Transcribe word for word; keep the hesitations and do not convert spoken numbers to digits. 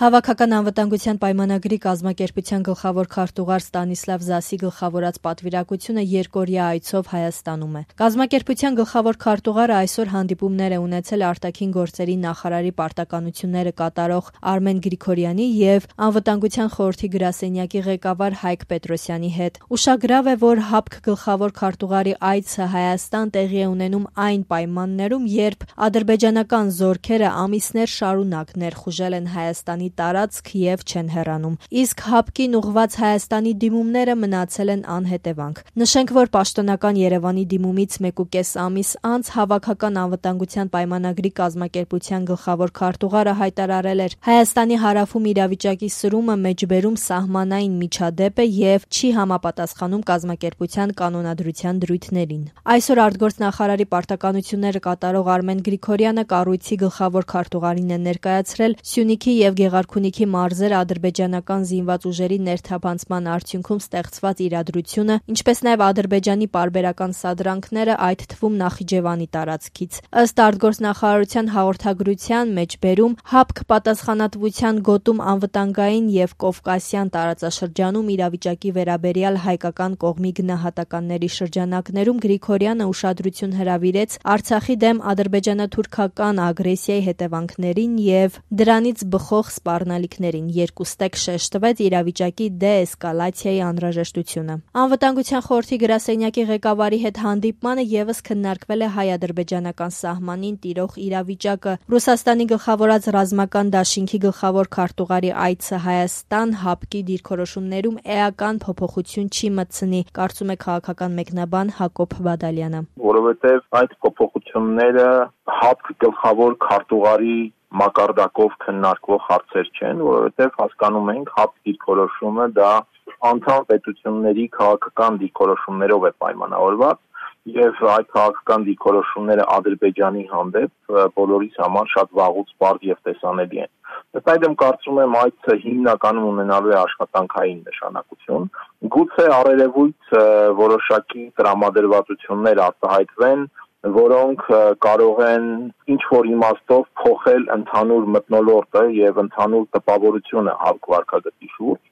Հավաքական անվտանգության պայմանագրի կազմակերպության գլխավոր քարտուղար Ստանիսլավ Զասի գլխավորած պատվիրակությունը երկօրյա այցով Հայաստանում է։ Կազմակերպության գլխավոր քարտուղարը այսօր հանդիպումներ է ունեցել արտաքին գործերի նախարարի պարտականությունները կատարող Արմեն Գրիգորյանի և Անվտանգության խորհրդի գրասենյակի ղեկավար Հայկ Պետրոսյանի հետ։ Ուշագրավ է, որ ՀԱՊԿ գլխավոր քարտուղարի այցը Հայաստան տեղի է ունենում այն պայմաններում, երբ ադրբեջանական զորքերը ամիսներ շարունակ ներխուժել են Հայաստանի տարածք և չեն հեռանում, իսկ ՀԱՊԿ-ին ուղղված Հայաստանի դիմումները մնացել են անհետևանք։ Նշենք, որ պաշտոնական Երևանի դիմումից մեկուկես ամիս անց Հավաքական անվտանգության պայմանագրի կազմակերպության գլխավոր քարտուղարը հայտարարել էր՝ Հայաստանի հարավում իրավիճակի սրումը մեջբերում սահմանային միջադեպ է և չի համապատասխանում կազմակերպության կանոնադրության դրույթներին։ Այսօր արտգործնախարարի պարտականությունները կատարող Արմեն Գրիգորյանը կառույցի գլխավոր քարտուղարին է ներկայացրել Սյունիքի և Գեղարքունիքի մարզեր ադրբեջանական զինված ուժերի ներթափանցման արդյունքում ստեղծված իրադրությունը, ինչպես նաև Ադրբեջանի պարբերական սադրանքները, այդ թվում Նախիջևանի տարածքից։ Ըստ արտգործնախարարության հաղորդագրության, մեջբերում ՀԱՊԿ պատասխանատվության գոտում անվտանգային և կովկասյան տարածաշրջանում իրավիճակի վերաբերյալ հայկական կողմի գնահատականների շրջանակներում Գրիգորյանը ուշադրություն հրավիրեց Արցախի դեմ ադրբեջանա-թուրքական ագրեսիայի հետևանքներին և դրանից բխող սպառնալիքներին, երկուստեք շեշտվեց իրավիճակի դե-էսկալացիայի անհրաժեշտությունը։ Անվտանգության խորհրդի գրասենյակի ղեկավարի հետ հանդիպմանը ևս քննարկվել է հայ-ադրբեջանական սահմանին տիրող իրավիճակը։ Ռուսաստանի գլխավորած ռազմական դաշինքի գլխավոր քարտուղարի այցը Հայաստան ՀԱՊԿ-ի դիրքորոշումներում էական փոփոխություն չի մտցնի, կարծում է քաղաքական մեկնաբան Հակոբ Բադալյանը։ Որովհետև այդ փոփոխությունները ՀԱՊԿ գլխավոր քարտուղարի մակարդակով քննարկվող հարցեր չեն, որովհետև հասկանում ենք ՀԱՊԿ դիրքորոշումը դա անդամ պետությունների քաղաքական դիրքորոշումներով է պայմանավորված եւ այդ քաղաքական դիրքորոշումները Ադրբեջանի հանդեպ բոլորիս համար շատ վաղուց պարզ եւ տեսանելի են։ Ըստ այդմ կարծում եմ այցը հիմնականում ունենալու է աշխատանքային նշանակություն։ Գուցե առերևույթ որոշակի տրամադրվածություններ արտահայտվեն, որոնք կարող են ինչ-որ իմաստով փոխել ընդհանուր մթնոլորտը եւ ընդհանուր տպավորությունը ՀԱՊԿ վարքագծի շուրջ,